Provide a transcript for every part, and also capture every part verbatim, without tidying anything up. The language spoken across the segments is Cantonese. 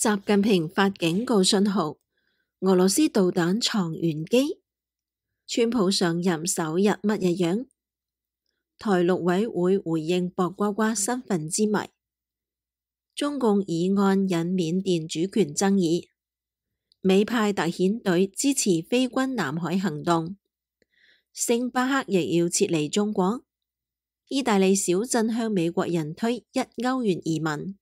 習近平發警告信號，俄羅斯導彈藏玄機。川普上任首日乜嘢樣？台陸委會回應薄瓜瓜身份之謎。中共議案引緬甸主權爭議。美派特遣隊支持非軍南海行動。星巴克亦要撤離中國。意大利小鎮向美國人推一歐元移民。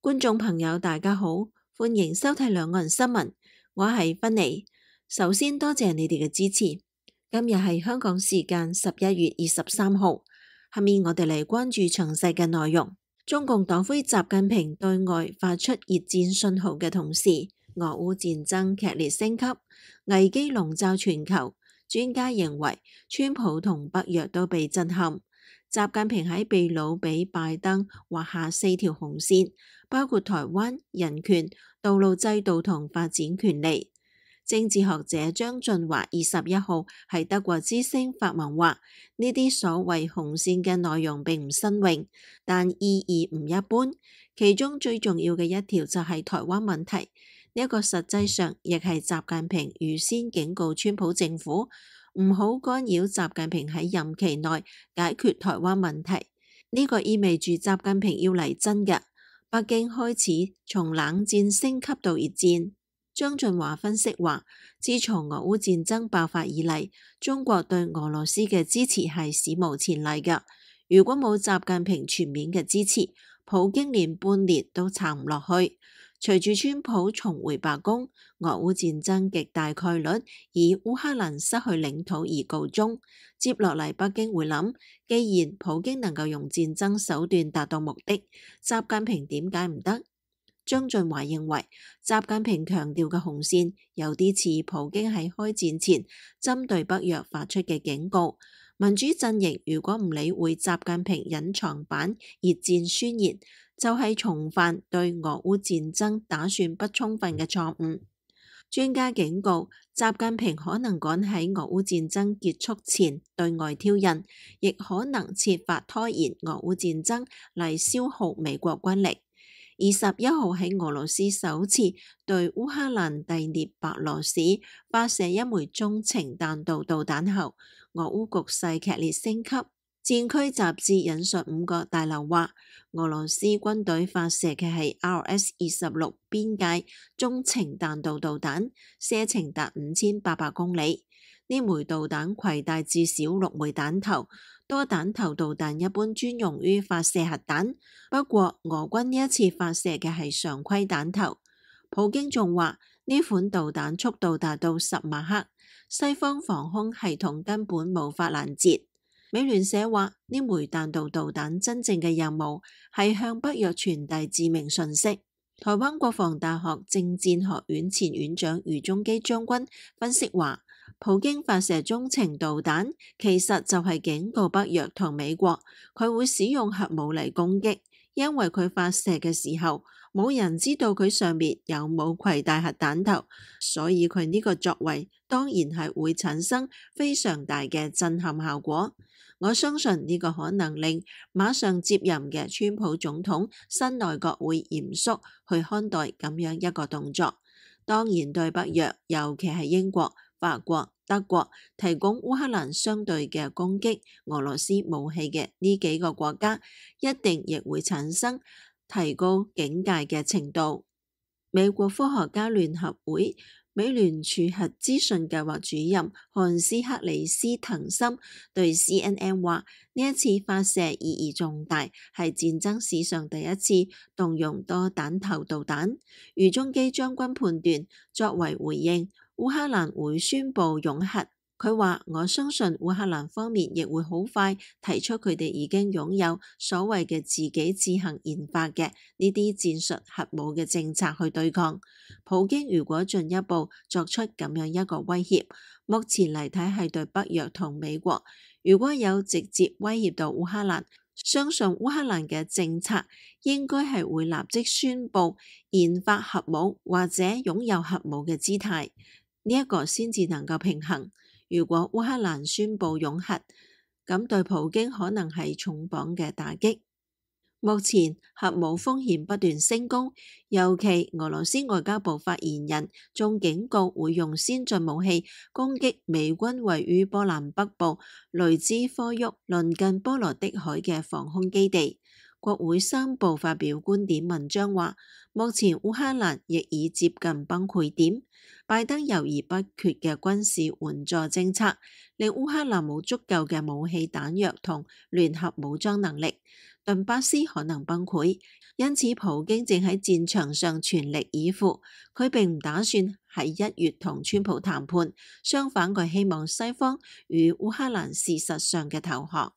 觀眾朋友大家好，歡迎收睇兩岸新聞，我係芬妮。首先多謝你哋嘅支持。今日係香港時間十一月二十三號，下面我哋嚟關注詳細嘅內容。中共黨魁習近平對外發出熱戰信號嘅同時，俄烏戰爭劇烈升級，危機籠罩全球。專家認為，川普同北約都被震撼。習近平喺秘魯俾拜登畫下四條紅線，包括台灣、人權、道路制度同發展權利。政治學者張俊華二十一號喺德國之聲發文話：呢啲所謂紅線嘅內容並唔新穎，但意義唔一般。其中最重要嘅一條就係台灣問題，呢一個實際上亦係習近平預先警告川普政府唔好干擾習近平喺任期內解決台灣問題。呢個意味住習近平要嚟真嘅，北京開始從冷戰升級到熱戰。張俊華分析話，自從俄烏戰爭爆發以嚟，中國對俄羅斯嘅支持係史無前例嘅。如果冇習近平全面嘅支持，普京連半年都撐唔落去。隨住川普重回白宮，俄烏戰爭極大概率以烏克蘭失去領土而告終。接落嚟，北京會諗，既然普京能夠用戰爭手段達到目的，習近平點解唔得？張俊華認為，習近平強調嘅紅線有啲似普京喺開戰前針對北約發出嘅警告。民主陣營如果唔理會習近平隱藏版熱戰宣言，就係重犯對俄烏戰爭打算不充分嘅錯誤。專家警告，習近平可能趕喺俄烏戰爭結束前對外挑釁，亦可能設法拖延俄烏戰爭嚟消耗美國軍力。二十一號喺俄羅斯首次對烏克蘭第聶伯羅市發射一枚中程彈道導彈後，俄烏局勢劇烈升級。戰區雜誌引述五角大樓話，俄羅斯軍隊發射嘅係 R S 二十六邊界中程彈道導彈，射程達五千八百公里。呢枚導彈攜帶至少六枚彈頭，多彈頭導彈一般專用於發射核彈，不過俄軍呢一次發射嘅係常規彈頭。普京仲話呢款導彈速度達到十馬赫，西方防空系統根本無法攔截。美聯社話呢枚彈道導彈真正嘅任務係向北約傳遞致命訊息。台灣國防大學政戰學院前院長余中基將軍分析話，普京發射中程導彈其實就係警告北約同美國，佢會使用核武嚟攻擊，因為佢發射嘅時候冇人知道佢上面有冇攜帶核彈頭，所以佢呢個作為當然係會產生非常大嘅震撼效果。我相信呢個可能令馬上接任嘅川普總統新內閣會嚴肅去看待咁樣一個動作。當然對北約，尤其係英國、法國、德國提供烏克蘭相對嘅攻擊俄羅斯武器嘅呢幾個國家，一定亦會產生提高警戒嘅程度。美國科學家聯合會美聯儲核資訊計劃主任漢斯克里斯滕森對 C N N 話：呢一次發射意義重大，係戰爭史上第一次動用多彈頭導彈。余中基將軍判斷，作為回應，烏克蘭會宣布擁核。佢話：我相信烏克蘭方面亦會好快提出佢哋已經擁有所謂嘅自己自行研發嘅呢啲戰術核武嘅政策去對抗普京。如果進一步作出咁樣一個威脅，目前嚟睇係對北約同美國。如果有直接威脅到烏克蘭，相信烏克蘭嘅政策應該係會立即宣布研發核武或者擁有核武嘅姿態，呢一個先至能夠平衡。如果烏克蘭宣布擁核，咁對普京可能係重磅嘅打擊。目前核武風險不斷升高，尤其俄羅斯外交部發言人仲警告會用先進武器攻擊美軍位於波蘭北部雷茲科沃鄰近波羅的海嘅防空基地。國會三部發表觀點文章話，目前烏克蘭亦已接近崩潰點，拜登猶豫不決嘅軍事援助政策令烏克蘭冇足夠嘅武器彈藥同聯合武裝能力，頓巴斯可能崩潰，因此普京正喺戰場上全力以赴。佢並唔打算喺一月同川普談判，相反佢希望西方與烏克蘭事實上嘅投降。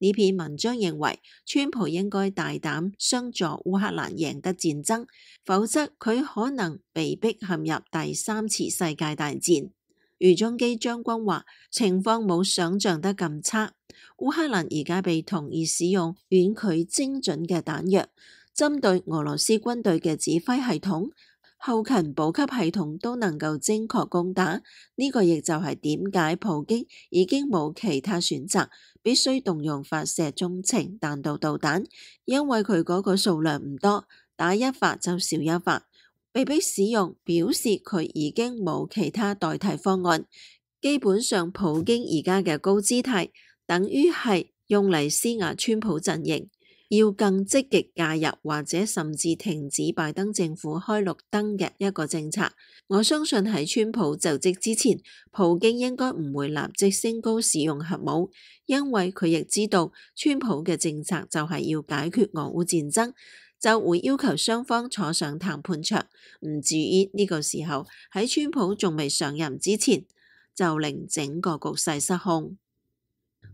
呢篇文章認為，川普應該大膽相助烏克蘭贏得戰爭，否則佢可能被迫陷入第三次世界大戰。余中基將軍話，情況冇想象得咁差。烏克蘭而家被同意使用遠距精準嘅彈藥，針對俄羅斯軍隊嘅指揮系統、後勤補給系統都能夠精確攻打。呢個亦就係點解普京已經冇其他選擇，必須動用發射中程彈道導彈，因為佢嗰個數量唔多，打一發就少一發，被迫使用表示佢已經冇其他代替方案。基本上普京而家嘅高姿態等於係用嚟施壓川普陣營，要更積極介入或者甚至停止拜登政府開綠燈嘅一個政策。我相信喺川普就職之前，普京應該唔會立即升高使用核武，因為佢亦知道川普嘅政策就係要解決俄烏戰爭，就會要求雙方坐上談判桌，唔至於呢個時候喺川普仲未上任之前就令整個局勢失控。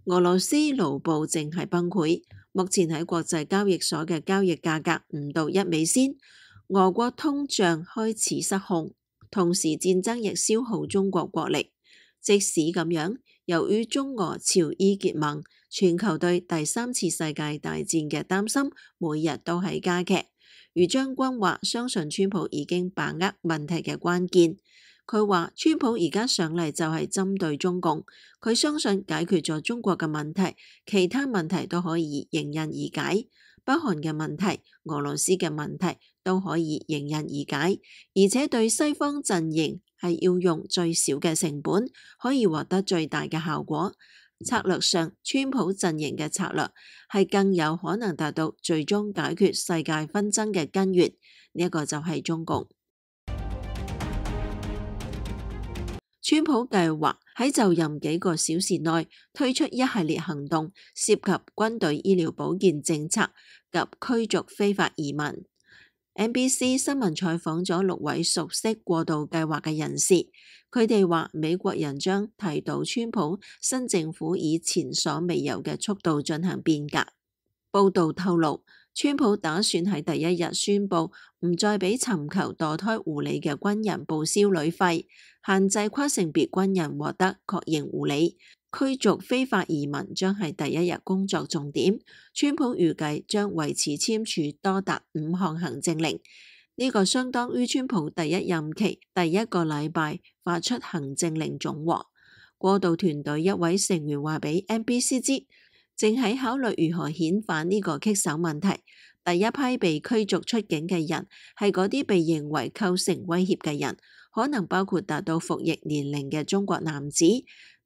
俄羅斯盧布正係崩潰，目前喺國際交易所嘅交易價格唔到一美仙。俄國通脹開始失控，同時戰爭亦消耗中國國力。即使咁樣，由於中俄朝伊結盟，全球對第三次世界大戰嘅擔心每日都係加劇。余將軍話，相信川普已經把握問題嘅關鍵。佢話川普而家上嚟就係針對中共，佢相信解決咗中國嘅問題，其他問題都可以迎刃而解。北韓嘅問題、俄羅斯嘅問題都可以迎刃而解，而且對西方陣營係要用最少嘅成本，可以獲得最大嘅效果。策略上，川普陣營嘅策略係更有可能達到最終解決世界紛爭嘅根源，呢、這、一個就係中共。川普計劃喺就任幾個小時內推出一系列行動，涉及軍隊醫療保健政策及驅逐非法移民。N B C 新聞採訪咗六位熟悉過渡計劃嘅人士，佢哋話美國人將睇到川普新政府以前所未有嘅速度進行變革。報道透露，川普打算喺第一日宣布唔再俾尋求墮胎護理嘅軍人報銷旅費，限制跨性別軍人獲得確認護理，驅逐非法移民將係第一日工作重點。川普預計將為此簽署多達五項行政令，呢、這個相當於川普第一任期第一個禮拜發出行政令總和。過渡團隊一位成員話俾 N B C 知，正喺考慮如何遣返呢個棘手問題。第一批被驅逐出境嘅人係嗰啲被認為構成威脅嘅人，可能包括達到服役年齡嘅中國男子，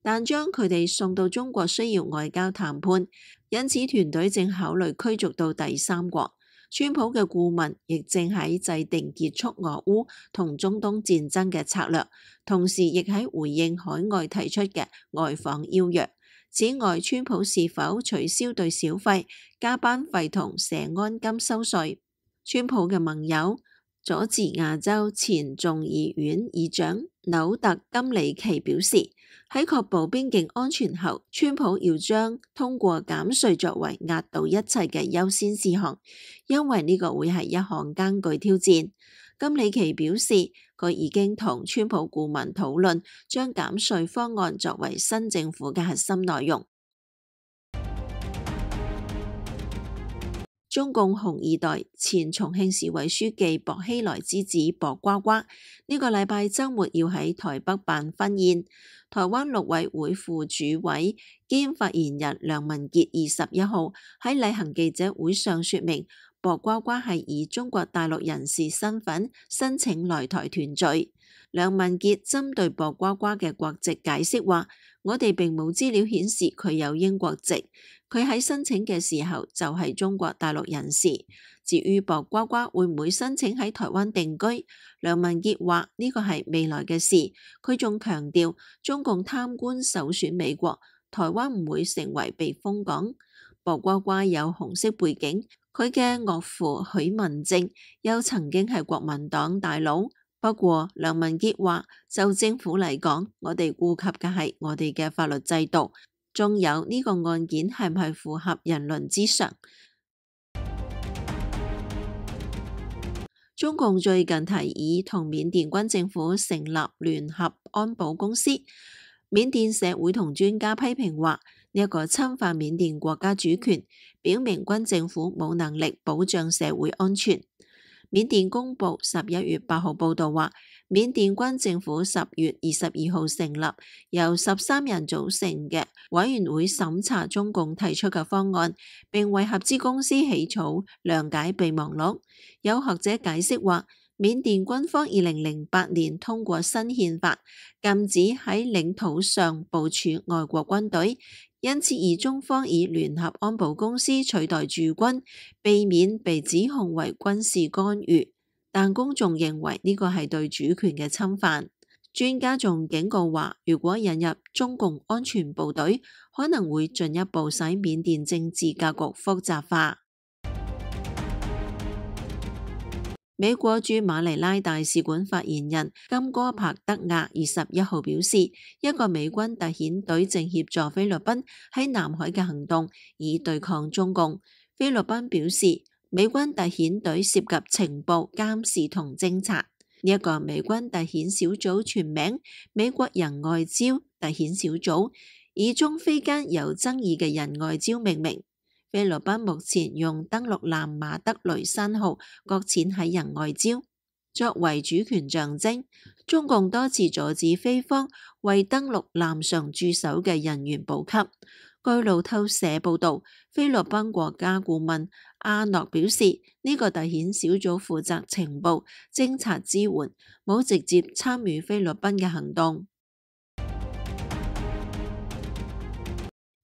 但將佢哋送到中國需要外交談判，因此團隊正考慮驅逐到第三國。川普嘅顧問亦正喺制定結束俄烏同中東戰爭嘅策略，同時亦喺回應海外提出嘅外訪邀約。此外，川普是否取消對小費、加班費同社安金收稅？川普嘅盟友佐治亞州前眾議院議長紐特金里奇表示，喺確保邊境安全後，川普要將通過減稅作為壓倒一切嘅優先事項，因為呢個會係一項艱巨挑戰。金里奇表示，佢已經同川普顧問討論將減稅方案作為新政府嘅核心內容。中共紅二代前重慶市委書記薄熙來之子薄瓜瓜呢個禮拜週末要喺台北辦婚宴。台灣陸委會副主委兼發言人梁文傑二十一號喺例行記者會上說明，薄瓜瓜係以中國大陸人士身份申請來台團聚。梁文傑針對薄瓜瓜嘅國籍解釋話，我哋並冇資料顯示佢有英國籍，佢喺申請嘅時候就係中國大陸人士。至於薄瓜瓜會唔會申請喺台灣定居，梁文傑話呢個係未來嘅事。佢仲強調，中共貪官首選美國，台灣唔會成為避風港。薄瓜瓜有紅色背景，佢嘅岳父許文正又曾經係國民黨大佬。不過梁文傑話，就政府嚟講，我哋顧及嘅係我哋嘅法律制度，仲有呢個案件係唔係符合人倫之常。中共最近提議同緬甸軍政府成立聯合安保公司，緬甸社會同專家批評話呢一個侵犯緬甸國家主權，表明軍政府冇能力保障社會安全。緬甸公報十一月八號報道話，緬甸軍政府十月二十二號成立由十三人組成嘅委員會審查中共提出嘅方案，並為合資公司起草諒解備忘錄。有學者解釋話，緬甸軍方二零零八年通過新憲法，禁止喺領土上部署外國軍隊，因此而中方以聯合安保公司取代駐軍，避免被指控為軍事干預。但公眾認為呢個係對主權嘅侵犯。專家仲警告話，如果引入中共安全部隊，可能會進一步使緬甸政治格局複雜化。美國駐馬尼拉大使館發言人金戈柏德亞二十一號表示，一個美軍特遣隊正協助菲律賓喺南海嘅行動，以對抗中共。菲律賓表示，美軍特遣隊涉及情報、監視同偵察。呢一個美軍特遣小組全名美國人外交特遣小組，以中菲間有爭議嘅人外交命名。菲律賓目前用登陸艦馬德雷山號擱淺喺人外礁，作為主權象徵。中共多次阻止菲方為登陸艦上駐守嘅人員補給。據路透社報導，菲律賓國家顧問阿諾表示，呢、這個特遣小組負責情報、偵察支援，冇直接參與菲律賓嘅行動。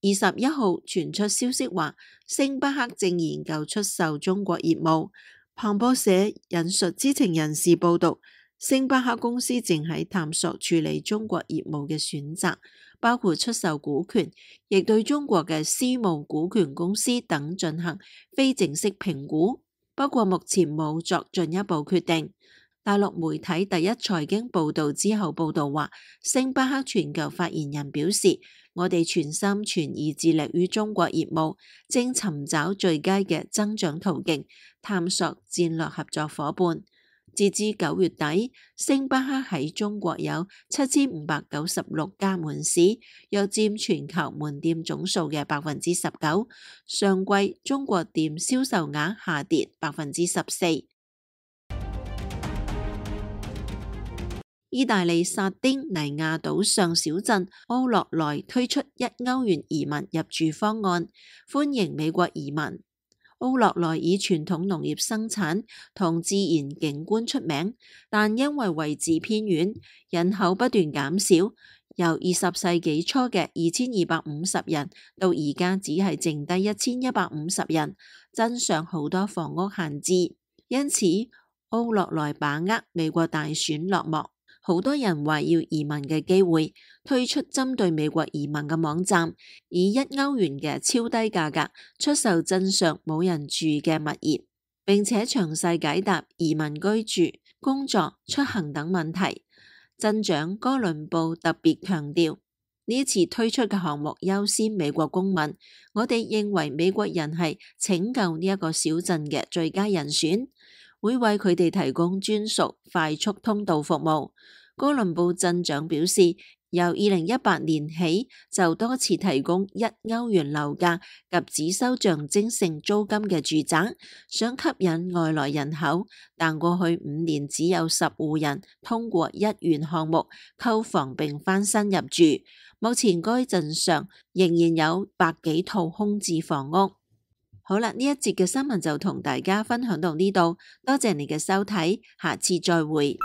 二十一號傳出消息話，星巴克正研究出售中國業務。彭博社引述知情人士報導，星巴克公司正喺探索處理中國業務嘅選擇，包括出售股權，亦對中國嘅私募股權公司等進行非正式評估。不過目前冇作進一步決定。大陸媒體第一財經報導之後報導話，星巴克全球發言人表示，我哋全心全意致力於中國業務，正尋找最佳嘅增長途徑，探索戰略合作夥伴。截至九月底，星巴克喺中國有七千五百九十六家門市，約佔全球門店總數嘅百分之十九。上季中國店銷售額下跌百分之十四。意大利薩丁尼亞島上小鎮奧洛萊推出一歐元移民入住方案，歡迎美國移民。奧洛萊以傳統農業生產同自然景觀出名，但因為位置偏遠，人口不斷減少，由二十世紀初嘅二千二百五十人到而家只係剩低一千一百五十人，鎮上好多房屋閒置，因此奧洛萊把握美國大選落幕，好多人話要移民嘅機會，推出針對美國移民嘅網站，以一歐元嘅超低價格出售鎮上冇人住嘅物業，並且詳細解答移民居住、工作、出行等問題。鎮長哥倫布特別強調，呢次推出嘅項目優先美國公民，我哋認為美國人係拯救呢一個小鎮嘅最佳人選，會為佢哋提供專屬快速通道服務。哥倫布鎮長表示，由二零一八年起就多次提供一歐元樓價及只收象徵性租金嘅住宅，想吸引外來人口，但過去五年只有十戶人通過一元項目購房並翻新入住。目前該鎮上仍然有百幾套空置房屋。好啦，呢一節嘅新聞就同大家分享到呢度，多謝你嘅收睇，下次再會。